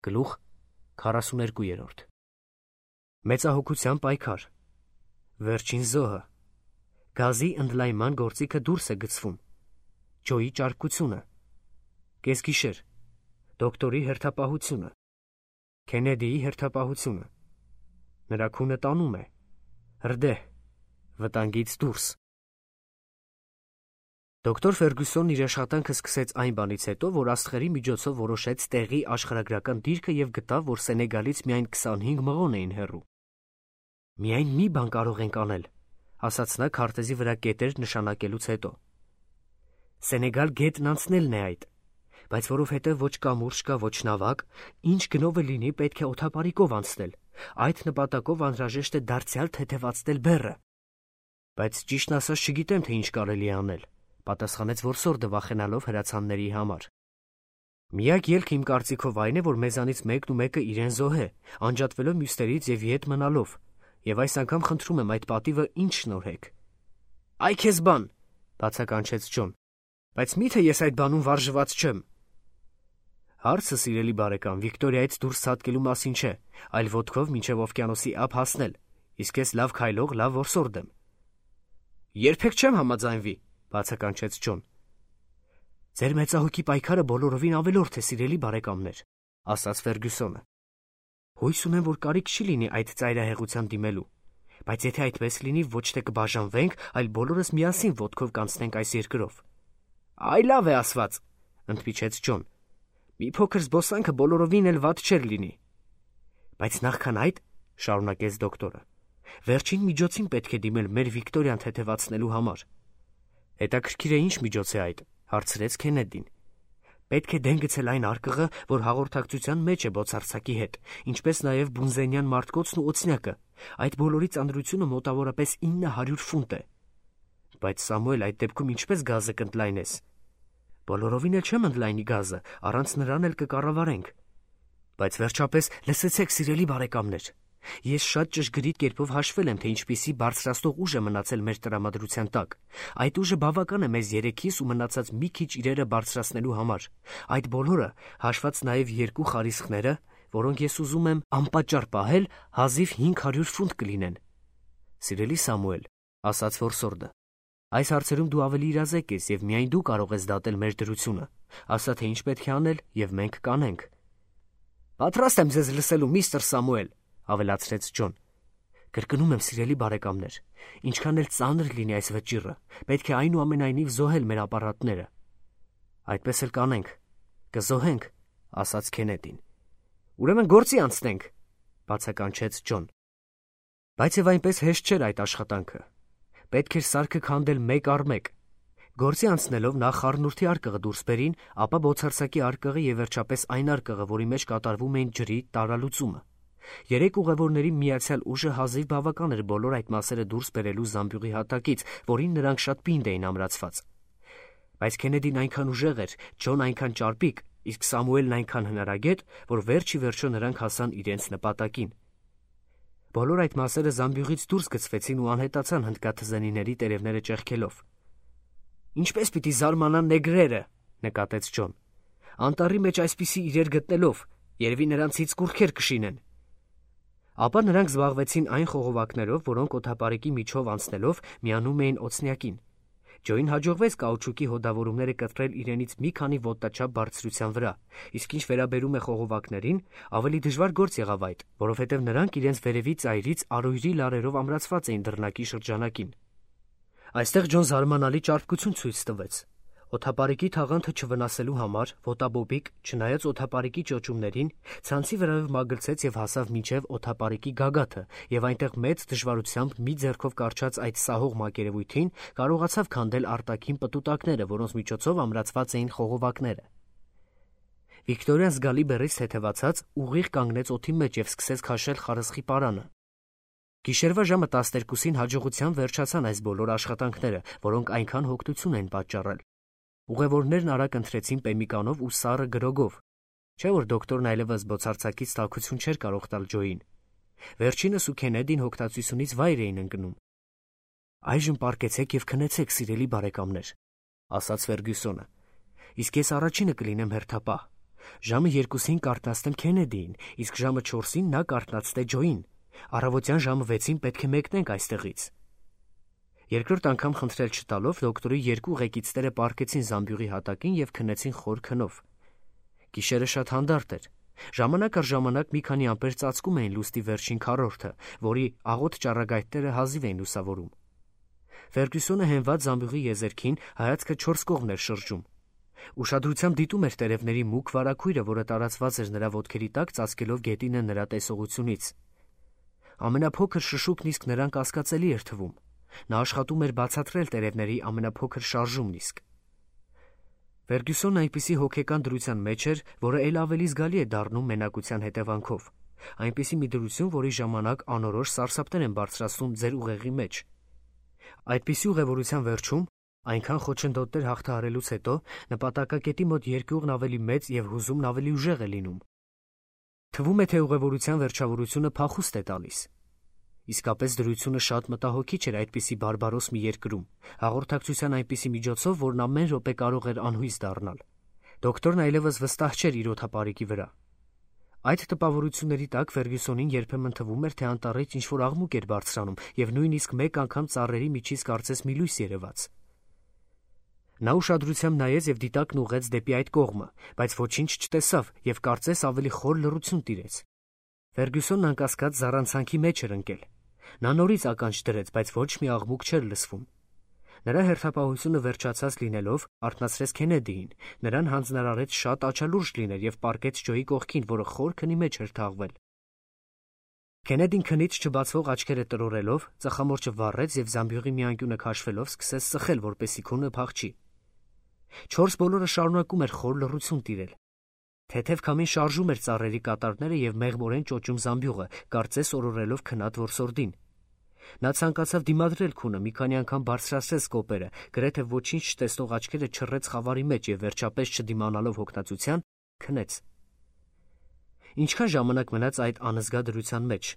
Գլուխ 42 Մեծահոգության պայքար Վերջին զոհը Գազի ընդլայնման գործիքը դուրս է գցվում Ջոյի ճարպկությունը Կեսգիշեր Դոկտորի հերթապահությունը Քենեդիի հերթապահությունը Նրա քունը տանում է Հրդեհ Վտանգից դուրս Դոկտոր Ֆերգուսոնն իր աշխատանքը սկսեց այն բանից հետո, որ աստղերի միջոցով որոշեց տեղի աշխարհագրական դիրքը և գտավ, որ Սենեգալից միայն 25 մղոն էին հեռու։ «Միայն մի բան կարող ենք անել», ասաց նա քարտեզի վրա կետեր նշանակելուց հետո։ Սենեգալ գետն անցնելն է այդ, բայց որովհետև ոչ կամուրջ կա, ոչ նավակ, ինչ գնով է լինի, պետք է օդապարիկով անցնել։ Այդ նպատակով անհրաժեշտ է դարձյալ թեթևացնել բեռը։ Բայց ճիշտն ասած չգիտեմ, թե ինչ կարելի է անել, պատասխանեց որսորդը վախենալով հրացանների համար։ Միակ ելքը իմ կարծիքով այն է, որ մեզանից մեկն ու մեկը իրեն զոհե, անջատվելով մյուսներից և ետ մնալով, և այս անգամ խնդրում եմ այդ պատիվը ինձ շնորհեք։ Այ քեզ բան, բացականչեց Ջոն, բայց միթե ես այդ բանում վարժված չեմ։ Հարցը, սիրելի բարեկամ, Վիկտորիայից դուրս ցատկելու մասին չէ, այլ ոտքով մինչև օվկիանոսի ափ հասնել, իսկ ես լավ քայլող, լավ որսորդ եմ։ Երբեք չեմ համաձայնվի, բացականչեց Ջոն։ Ձեր մեծահոգի պայքարը բոլորովին ավելորդ է, սիրելի բարեկամներ, ասաց Ֆերգուսոնը։ Հույս ունեմ, որ կարիք չի լինի այդ ծայրահեղության դիմելու, բայց եթե այդպես լինի, ոչ թե կբաժանվենք, այլ բոլորս միասին ոտքով կանցնենք այս երկրով։ Այ լավ է ասված, ընդմիջեց Ջոն։ Մի փոքր զբոսանքը բոլորովին էլ վատ չէր լինի։ Բայց նախքան այդ, շարունակեց դոկտորը, վերջին միջոցին պետք է դիմել մեր Վիկտորիան թեթևացնելու համար։ Հետաքրքիր է ինչ միջոց է այդ, հարցրեց Քենեդին։ Պետք է դեն գցել այն արկղը, որ հաղորդակցության մեջ է բոցարձակի հետ, ինչպես նաև բունզենյան մարտկոցն ու օձնյակը, այդ բոլորի ծանրությունը մոտավորապես 900 ֆունտ է։ Բայց Սամուել, այդ դեպքում ինչպես գազը կընդլայնես։ Բոլորովին էլ չեմ ընդլայնի գազը, առանց նրան էլ կկառավարենք։ Բայց վերջապես լսեցեք, սիրելի բարեկամներ, ես շատ ճշգրիտ կերպով հաշվել եմ, թե ինչպիսի բարձրաստող ուժ է մնացել մեր տրամադրության տակ։ Այդ ուժը բավական է մեզ երեքիս ու մնացած մի քիչ իրերը բարձրացնելու համար։ Այդ բոլորը, հաշված նաև 2 խարիսխները, որոնք ես ուզում եմ անպատճառ պահել, հազիվ 500 ֆունտ կլինեն։ Սիրելի Սամուել, ասաց որսորդը, այս հարցերում դու ավելի իրազեկ ես և միայն դու կարող ես դատել մեր դրությունը, ասա թե ինչ պետք է անել և մենք կանենք։ Պատրաստ եմ ձեզ լսելու, միստր Սամուել, ավելացրեց Ջոն։ Կրկնում եմ, սիրելի բարեկամներ, ինչքան էլ ծանր լինի այս վճիռը, պետք է այնուամենայնիվ զոհել մեր ապարատները։ Այդպես էլ կանենք, կզոհենք, ասաց Քենեդին։ Ուրեմն գործի անցնենք, բացականչեց Ջոն։ Բայց եւ այնպես հեշտ չէր այդ աշխատանքը։ Պետք էր սարքը քանդել մեկ առ մեկ։ Գործի անցնելով նախ խառնուրդի արկղը դուրս բերին, ապա բոցարձակի արկղը եւ վերջապես այն արկղը, որի մեջ կատարվում էին ջրի տարալուծումը։ 3 ուղևորների միացյալ ուժը հազիվ բավական էր բոլոր այդ մասերը դուրս բերելու զամբյուղի հատակից, որին նրանք շատ պինդ էին ամրացված։ Բայց Քենեդին այնքան ուժեղ էր, Ջոն այնքան ճարպիկ, իսկ Սամուելն այնքան հնարագետ, որ վերջի վերջո նրանք հասան իրենց նպատակին։ Բոլոր այդ մասերը զամբյուղից դուրս գցվեցին ու անհետացան հնդկաթզենիների տերևները ճեղքելով։ Ինչպես պիտի զարմանան նեգրերը, նկատեց Ջոն։ Անտառի մեջ այսպիսի իրեր գտնելով, երևի նրանցից կուռքեր կշինեն։ Ապա նրանք զբաղվեցին այն խողովակներով, որոնք օդապարիկի միջով անցնելով միանում էին օձնյակին։ Ջոյին հաջողվեց կաուչուկի հոդավորումները կտրել իրենից մի քանի ոտնաչափ բարձրության վրա, իսկ ինչ վերաբերում է խողովակներին, ավելի դժվար գործ եղավ այդ, որովհետև նրանք իրենց վերևի ծայրից արույրի լարերով ամրացված էին դռնակի շրջանակին։ Այստեղ Ջոն զարմանալի ճարպկություն ցույց տվեց։ Օդապարիկի թաղանթը չվնասելու համար ոտաբոբիկ, չնայած օդապարիկի ճոճումներին, ցանցի վրայով մագլցեց և հասավ մինչև օդապարիկի գագաթը և այնտեղ մեծ դժվարությամբ մի ձեռքով կառչած այդ սահող մակերևույթին կարողացավ քանդել արտաքին պտուտակները, որոնց միջոցով ամրացված էին խողովակները։ Վիկտորիան զգալի բեռից թեթևացած ուղիղ կանգնեց օդի մեջ և սկսեց քաշել խարսխի պարանը։ Գիշերվա ժամը 12-ին հաջողությամբ վերջացան այս բոլոր աշխատանքները, որոնք այնքան հոգնություն էին պատճառել։ Ուղևորներն արագ ընթրեցին պեմիկանով ու սառը գրոգով, չէ՞ որ դոկտորն այլևս բոցարձակից տաքություն չէր կարող տալ Ջոյին։ Վերջինս ու Քենեդին հոգնածությունից վայր էին ընկնում։ Այժմ պառկեցեք և քնեցեք, սիրելի բարեկամներ, ասաց Ֆերգուսոնը։ Իսկ ես առաջինը կլինեմ հերթապահ։ Ժամը 2-ին կարտնացնեմ Քենեդիին, իսկ ժամը 4-ին նա կարտնացնե Ջոին։ Առավոտյան ժամը 6-ին պետք է մեկնենք այստեղից։ Երկրորդ անգամ խնդրել չտալով դոկտորի 2 ղեկիցները պառկեցին զամբյուղի հատակին եւ քնեցին խոր քնով։ Գիշերը շատ հանդարտ էր։ Ժամանակ առ ժամանակ մի քանի ամպեր ծածկում էին լուսնի վերջին քառորդը, որի աղոտ ճառագայթները հազիվ էին լուսավորում։ Ֆերգյուսոնը հենված զամբյուղի եզերքին հայացքը 4 կողմն էր շրջում։ Ուշադրությամբ դիտում էր տերևների մուգ վարագույրը, որը տարածված էր նրա ոտքերի տակ, ծածկելով գետինը նրա տեսողությունից։ Ամենափոքր շշուկն իսկ նրան կասկածելի էր թվում։ Նա աշխատում էր բացատրել տերևների ամենափոքր շարժումն իսկ։ Ֆերգյուսոնն այնպիսի հոգեկան դրության մեջ էր, որը ել ավելի զգալի է դառնում մենակության հետևանքով։ Այնպիսի մի դրություն, որի ժամանակ անորոշ սարսափներ են բարձրացնում ձեր ուղեղի մեջ։ Այդպիսի ուղևորության վերջում, այնքան խոչընդոտներ հաղթահարելուց հետո, նպատակակետի մոտ երկյուղն ավելի մեծ եւ հուզումն ավելի ուժեղ է լինում։ Թվում է, թե ուղևորության վերջավորությունը փախուստ է տալիս։ Իսկապես դրությունը շատ մտահոգիչ էր այդպիսի բարբարոս մի երկրում, հաղորդակցության այնպիսի միջոցով, որն ամեն րոպե կարող էր անհույս դառնալ։ Դոկտորն այլևս վստահ չէր իր օդապարիկի վրա։ Այդ տպավորությունների տակ Ֆերգյուսոնին երբեմն թվում էր, թե անտառից ինչ-որ աղմուկ էր բարձրանում եւ նույնիսկ մեկ անգամ ծառերի միջից կարծես մի լույս երևաց։ Նա ուշադրությամբ նայեց եւ դիտակն ուղղեց դեպի այդ կողմը, բայց ոչինչ չտեսավ եւ կարծես ավելի խոր լռություն տիրեց։ Ֆերգյուսոնն անկասկած զառանցանքի մեջ էր ընկել։ Նա նորից ականջ դրեց, բայց ոչ մի աղմուկ չէր լսվում։ Նրա հերթապահությունը վերջացած լինելով, արթնացրեց Քենեդիին, նրան հանձնարարեց շատ աչալուրջ լինել եւ պառկեց Ջոյի կողքին, որը խոր քնի մեջ էր թաղվել։ Քենեդին քնից չբացվող աչքերը տրորելով, ծխամորճը վառեց եւ զամբյուղի մի անկյունը քաշվելով սկսեց սխել, որպեսզի քունը փախչի։ 4 բոլորը շարունակում էր խոր լռություն տիրել։ Թեթև քամին շարժում էր ծառերի կատարները եւ մեղմորեն ճոճում զամբյուղը, կարծես օրորելով քնած որսորդին։ Նա ցանկացավ դիմադրել քունը, մի քանի անգամ բարձրացրեց կոպերը, գրեթե ոչինչ չտեսնող աչքերը չռեց խավարի մեջ եւ վերջապես չդիմանալով հոգնածության, քնեց։ Ինչքան ժամանակ մնաց այդ անզգա դրության մեջ։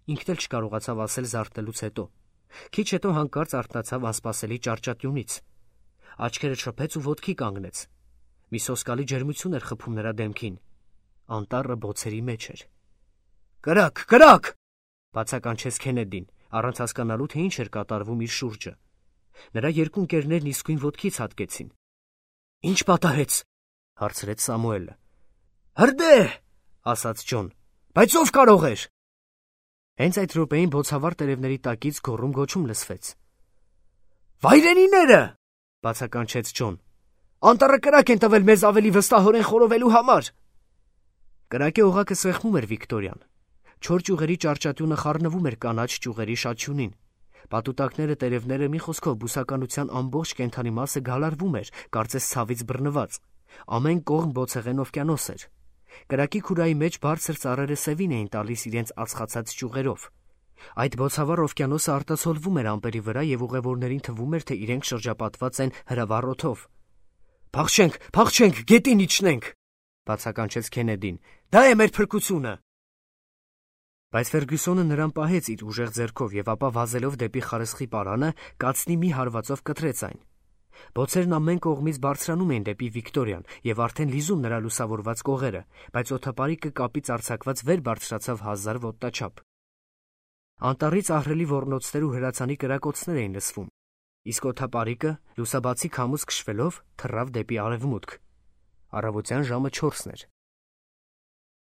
Ինքն էլ չկարողացավ ասել զարթնելուց հետո։ Քիչ հետո հանկարծ արթնացավ անսպասելի ճարճատյունից։ Աչքերը չփեց ու ոտքի կանգնեց։ Մի սոսկալի ջերմություն էր խփում նրա դեմքին։ Անտառը բոցերի մեջ էր։ «Կրակ, կրակ!» բացականչեց Քենեդին, առանց հասկանալու, թե ինչ էր կատարվում իր շուրջը։ Նրա 2 ընկերներն իսկույն ոտքից հատկեցին։ «Ինչ պատահեց?» հարցրեց Սամուելը։ «Հրդե!» ասաց Ջոն։ «Բայց ով կարող էր»։ Հենց այդ րոպեին բոցավառ տերևների տակից գոռում գոչում լսվեց։ «Վայրենիները!» բացականչեց Ջոն։ «Անտառը կրակ են տվել մեզ ավելի վստահորեն խորովելու համար»։ Կրակի օղակը սեղմում էր Վիկտորիան։ 4 ճյուղերի ճարճատյունը խառնվում էր կանաչ ճյուղերի շաչյունին։ Պատուտակները, տերևները, մի խոսքով բուսականության ամբողջ կենդանի մասը գալարվում էր, կարծես ցավից բռնված։ Ամեն կողմ բոցեղեն օվկիանոս էր։ Կրակի քուրայի մեջ բարձր ծառերը սևին էին տալիս իրենց ածխացած ճյուղերով։ Այդ բոցավառ օվկիանոսը արտացոլվում էր ամպերի վրա եւ ուղևորներին թվում էր, թե իրենք շրջապատված են հրավառ օդով։ «Փախչենք, փախչենք, գետին իջնենք», բացականչեց Քենեդին։ «Դա է մեր փրկությունը»։ Բայց Ֆերգյուսոնը նրան պահեց իր ուժեղ ձեռքով եւ ապա վազելով դեպի խարսխի պարանը, կացնի մի հարվածով կտրեց այն։ Բոցերն ամեն կողմից բարձրանում էին դեպի Վիկտորիան եւ արդեն լիզում նրա լուսավորված կողերը, բայց օդապարիկը կապից արձակված վեր բարձրացավ 1000 ոտնաչափ։ Անտառից ահռելի ոռնոցներ ու հրացանի կրակոցներ էին լսվում, իսկ օդապարիկը լուսաբացի քամուց քշվելով թռավ դեպի արևմուտք։ Առավոտյան ժամը 4-ն էր։